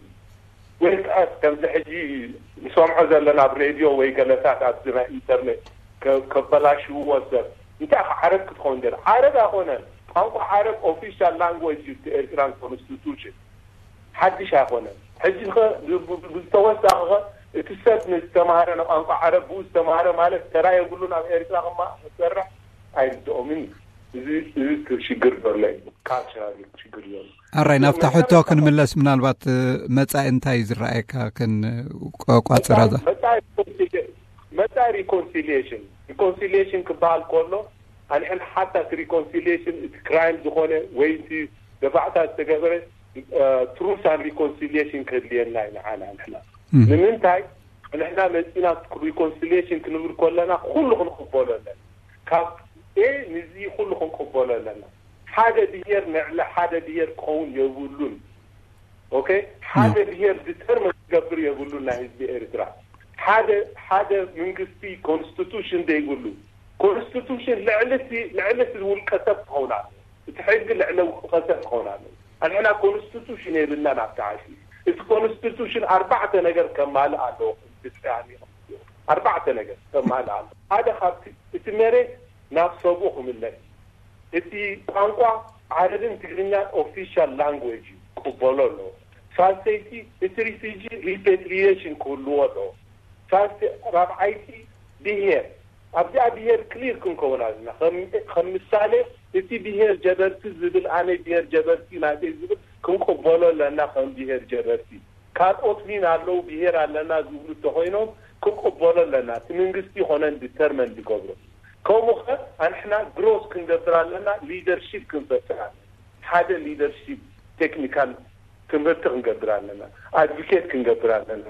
ወይ ከኣስ ከምዚ ሕጂ ንሰምዖ ዘለና ኣብ ሬድዮ ወይ ገለታት ኣብዚ ናይ ኢንተርኔት ከ-፣ ከበላሽውዎ ሰብ። እንታይ ከ ዓረብ ክትኸውን ደለ? ዓረብ ኣይኮነን። ቋንቋ ዓረብ ኦፊሻል ላንጉዌጅ እዩ፣ እቲ ኤርትራን ኮንስቲቱሽን። ሓድሽ ኣይኮነን። ሕጂ ኸ ብ-፣ ብ-፣ ብዝተወሳኺ ኸ እቲ ሰብ ንዝተማሃረ ንቋንቋ ዓረብ ብኡ ዝተማሃረ ማለት ተራ የብሉን ኣብ ኤርትራ ክማ-፣ ክሰርሕ ኣይርድኦምን እዩ። እዚ፣ እዚ ሽግር ዘሎ እዩ። ካልቸራል ሽግር ዘሎ። ኣራይ፣ ናብታ ሕቶ ክንምለስ፣ ምናልባት፣ እ፣ መጻኢ እንታይ እዩ ዝረኣየካ? ክን-፣ ቆ-፣ ቋጽራ እዛ። መጻኢ፣ መጻኢ ሪኮንሲሊየሽን። ሪኮንሲሊየሽን ክበሃል ከሎ፣ ኣንሕና ሓታ እቲ ሪኮንሲሊየሽን እቲ ክራይም ዝኾነ ወይ እቲ ደፋዕታ ዝተገበረ፣ እ፣ ትሩስ ኣን ሪኮንሲሊየሽን ክህልየና እዩ ንዓና ንሕና። እም። ንምንታይ? ንሕና መጺና ሪኮንሲሊየሽን ክንብል ከለና ኩሉ ክንቅበሎ ኣለና። ካብ ኤ ንዚ ኩሉ ክንቅበሎ ኣለና። ሓደ ብሄር ንዕሊ ሓደ ብሄር ክኸውን የብሉን። ኦኬ? ሓደ እም። ብሄር ዲተርሚን ክገብር የብሉን ናይ ህዝቢ ኤርትራ። ሓደ፣ ሓደ መንግስቲ ኮንስቲቱሽን ዘይብሉ። ኮንስቲቱሽን ልዕሊ እቲ፣ ልዕሊ እቲ ውልቀ ሰብ ክኸውን ኣለዎ። እቲ ሕጊ ልዕሊ ውልቀ ሰብ ክኸውን ኣለዎ። ኣንሕና ኮንስቲቱሽን የብልናን ኣብቲ ዓዲ። እቲ ኮንስቲቱሽን ኣርባዕተ ነገር ከማልእ ኣለዎ። ብጣዕሚ ኣርባዕተ ነገር ከማልእ ኣለዎ። ሓደ ካብቲ እቲ መሬት ናብ ሰብኡ ክምለስ። እቲ ቋንቋ ዓረብን ትግርኛን ኦፊሻል ላንጉጅ እዩ፣ ክቕበሎ ኣለዎ። ሳልሰይቲ፣ እቲ ሪፊጂ ሪፓትሪዬሽን ክህልዎ ኣለዎ። ሳልሰ ራብዓይቲ፣ ብሄር ኣብዚኣ ብሄር ክሊር ክንከውን ኣለና። ከም ምሳሌ፣ እቲ ብሄር ጀበርቲ ዝብል፣ ኣነ ብሄር ጀበርቲ ናተይ ዝብል ክንቅበሎ ኣለና ከም ብሄር ጀበርቲ። ካልኦት ዊን ኣለዉ፣ ብሄር ኣለና ዝብሉ እንተኮይኖም ክንቅበሎ ኣለና። እቲ መንግስቲ ይኮነን ዲተርመን ዝገብሮ። ከምኡ ከ ኣንሕና ግሮስ ክንገብር ኣለና፣ ሊደርሺፕ ክንፈጥር ኣለና። ሓደ ሊደርሺፕ ቴክኒካል ትምህርቲ ክንገብር ኣለና፣ ኣድቮኬት ክንገብር ኣለና።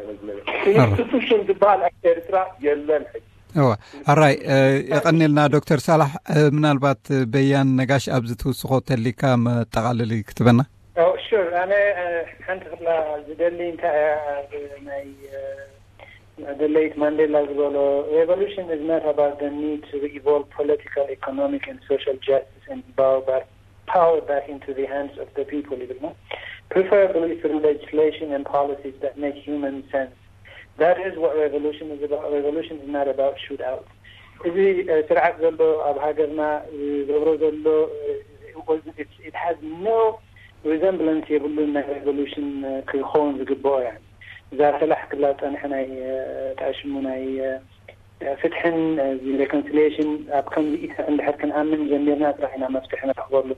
ኢንስቲቱሽን ዝበሃል ኣብ ኤርትራ የለን ሕጂ። እወ። ኣራይ፣ የቐኔልና ዶክተር ሳላሕ። ምናልባት በያን ነጋሽ ኣብዚ ትውስኾ ተሊካ መጠቓለሊ ክትበና? ሽር፣ ኣነ ሓንቲ ክብላ ዝደሊ እንታይ እያ፣ ኣብ ናይ ደለይት ማንዴላ ዝበሎ, revolution is not about the need to evolve political, economic and social justice and power back, power back into the hands of the people ይብል ነው, preferably through legislation and policies that make human sense. That is what revolution is about. Revolution is not about shootout. እዚ ስርዓት ዘሎ ኣብ ሃገርና ዝገብሮ ዘሎ, it has no resemblance የብሉን ናይ ሬቮሉሽን ክኸውን ዝግብኦ እያ። እዛ ሰላሕ ክላ ዝፀንሐ ናይ ተኣሽሙ ናይ ፍትሕን reconciliation ኣብ ከምዚ ኢታት እንድሕር ክንኣምን ጀሚርና ጥራሕ ኢና መፍትሒ ንረኽበሉ።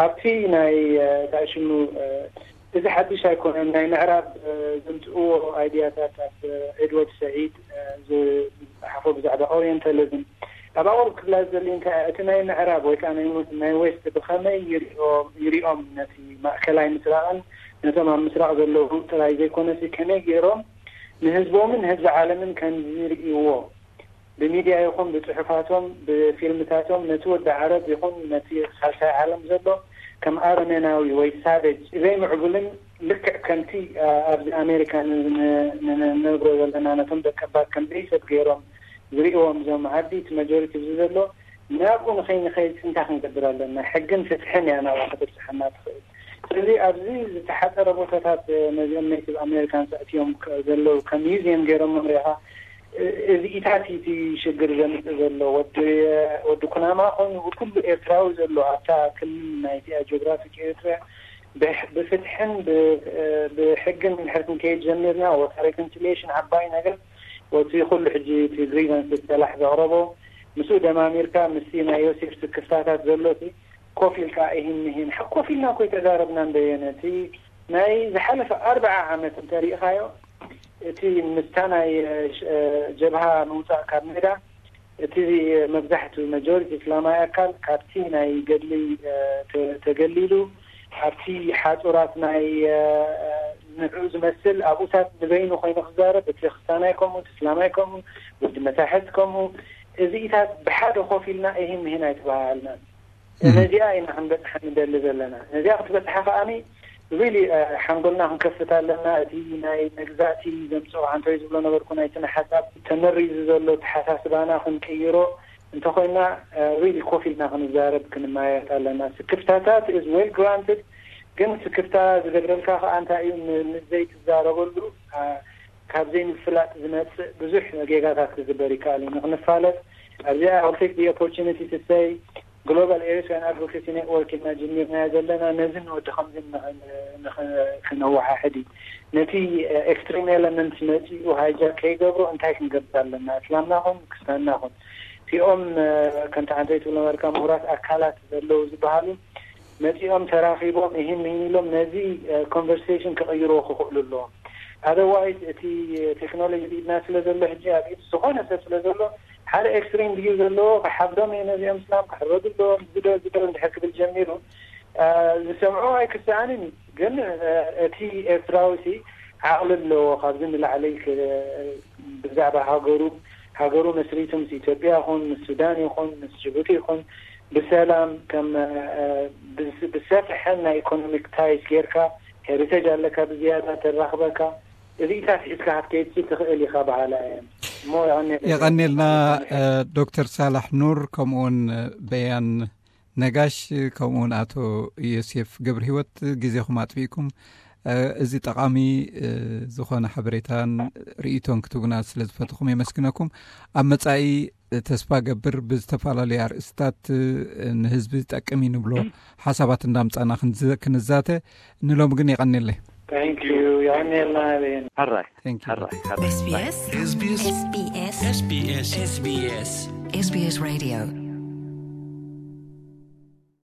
ኣብቲ ናይ ተኣሽሙ፣ እዚ ሓድሽ ኣይኮነን። ናይ ምዕራብ ዘምፅእዎ ኣይድያታት ኣብ ኤድዋርድ ሰዒድ ዝፅሓፎ ብዛዕባ ኦሪየንታሊዝም ኣብ ኣቕሩብ ክብላ ዝደሊ እንታይ እቲ ናይ ምዕራብ ወይ ከዓ ናይ ዌስት ብኸመይ ይሪኦም ነቲ ማእከላይ ምስራቕን ነቶም ኣብ ምስራቕ ዘለዉ ጥራይ ዘይኮነሲ ከመይ ገይሮም ንህዝቦምን ህዝቢ ዓለምን ከም ዝርእይዎ ብሚድያ ይኹን ብፅሑፋቶም ብፊልምታቶም ነቲ ወዲ ዓረብ ይኹን ነቲ ሳልሳይ ዓለም ዘሎ ከም ኣረሜናዊ ወይ ሳቨጅ ዘይምዕቡልን ልክዕ ከምቲ ኣብዚ ኣሜሪካ ንነብሮ ዘለና ነቶም ደቀባት ከም ዘይሰብ ገይሮም ዝርእዎም እዞም ዓዲ እቲ መጆሪቲ እዚ ዘሎ ናብኡ ንኸይንኸይድ እንታይ ክንገብር ኣለና? ሕግን ፍትሕን እያ ናብኡ ክትብፅሓና ትኽእል። ስለዚ ኣብዚ ዝተሓፀረ ቦታታት ነዚኦም ኔቲቭ ኣሜሪካንስ ኣእትዮም ዘለዉ ከም ሚውዚየም ገይሮም መምሪኻ እዚኢታት እቲ ሽግር ዘምፅእ ዘሎ ወዲ ኩናማ ኮይኑ ኩሉ ኤርትራዊ ዘሎ ኣብታ ክልል ናይቲኣ ጂኦግራፊክ ኤርትራ ብፍትሕን ብሕግን እንድሕር ክንከይድ ጀሚርና ወታ ሬኮንሲሊሽን ዓባይ ነገር ወቲ ኩሉ ሕጂ እቲ ግሪቨንስ ሰላሕ ዘቕረቦ ምስኡ ደማሚርካ ምስቲ ናይ ዮሴፍ ስክፍታታት ዘሎ እቲ ኮፍ ኢልካ ይህን ይህን ኮፍ ኢልና እኮ ይተዛረብና እንደየነ እቲ ናይ ዝሓለፈ ኣርብዓ ዓመት እንተሪኢኻዮ እቲ ምስታ ናይ ጀብሃ ምውፃእ ካብ ሜዳ እቲ መብዛሕቱ መጆሪቲ እስላማዊ ኣካል ካብቲ ናይ ገድሊ ተገሊሉ ኣብቲ ሓፁራት ናይ ንዕኡ ዝመስል ኣብኡታት ንበይኑ ኮይኑ ክዛረብ እቲ ክስታናይ ከምኡ እቲ እስላማይ ከምኡ ወዲ መታሕት ከምኡ እዚኢታት ብሓደ ኮፍ ኢልና ይህን ይህን ኣይተባሃልናን ነዚኣ ኢና ክንበፅሓ ንደሊ ዘለና። ነዚኣ ክትበፅሓ ከዓኒ ሪሊ ሓንጎልና ክንከፍት ኣለና። እቲ ናይ መግዛእቲ ዘምፅኦ ሓንቶይ ዝብሎ ነበርኩ ናይ ስነ ሓሳብ ተመሪዙ ዘሎ ተሓሳስባና ክንቅይሮ እንተኮይና ሪሊ ኮፍ ኢልና ክንዛረብ ክንማየጥ ኣለና። ስክፍታታት is well granted ግን ስክፍታ ዝገብረልካ ከዓ እንታይ እዩ ምስ ዘይትዛረበሉ ካብ ዘይምፍላጥ ዝመፅእ ብዙሕ ጌጋታት ክግበር ይከኣል እዩ። ንክንፋለጥ ኣብዚኣ I'll take the opportunity to say Global Eritrean Advocacy Network ኢልና ጀሚርናዮ ዘለና ነዚ ንወዲ ከምዚ ክነወሓሕድ እዩ። ነቲ ኤክስትሪም ኤለመንት መፂኡ ሃይጃክ ከይገብሮ እንታይ ክንገብር ኣለና? እስላምና ኹን ክስታንና ኹን እቲኦም ከምቲ ሓንተይ ትብሎ ነበርካ ምሁራት ኣካላት ዘለዉ ዝበሃሉ መፂኦም ተራኺቦም ይህን ይህን ኢሎም ነዚ ኮንቨርሴሽን ክቕይርዎ ክኽእሉ ኣለዎም። ኣደርዋይዝ እቲ ቴክኖሎጂ ብኢድና ስለ ዘሎ ሕጂ ኣብ ኢድ ዝኾነ ሰብ ስለ ዘሎ ሓደ ኤክስትሪም ቪው ዘለዎ ክሓብዶም እየ ነዚኦም እስላም ክሕረዱ ኣለዎም ዝዶ ዝዶ እንድሕር ክብል ጀሚሩ ዝሰምዖ ኣይክስኣንን እዩ። ግን እቲ ኤርትራዊ ሲ ዓቕሊ ኣለዎ ካብዚ ንላዕሊ ብዛዕባ ሃገሩ ሃገሩ መስሪቱ ምስ ኢትዮጵያ ይኹን ምስ ሱዳን ይኹን ምስ ጅቡቲ ይኹን ብሰላም ከም ብሰፍሐን ናይ ኢኮኖሚክ ታይስ ጌርካ ሄሪቴጅ ኣለካ ብዝያዳ ተራኽበካ እዚኢታት ሒዝካ ክትከይድ ትኽእል ኢኻ በሃላ እየ። እሞ የቐንየልና። የቐንየልና ዶክተር ሳላሕ ኑር ከምኡውን በያን ነጋሽ ከምኡውን ኣቶ ዮሴፍ ገብረ ህይወት ግዜኹም ኣጥፊእኩም እዚ ጠቓሚ ዝኾነ ሓበሬታን ርእይቶን ክትቡና ስለ ዝፈትኹም የመስግነኩም። ኣብ መጻኢ ተስፋ ገብር ብዝተፈላለዩ ኣርእስታት ንህዝቢ ጠቅም እዩ ንብሎ ሓሳባት እንዳምጻና ክንዛተ። ንሎም ግን የቐኒለይ። የቐኒልና። ሕራይ ሕራይ። SBS Radio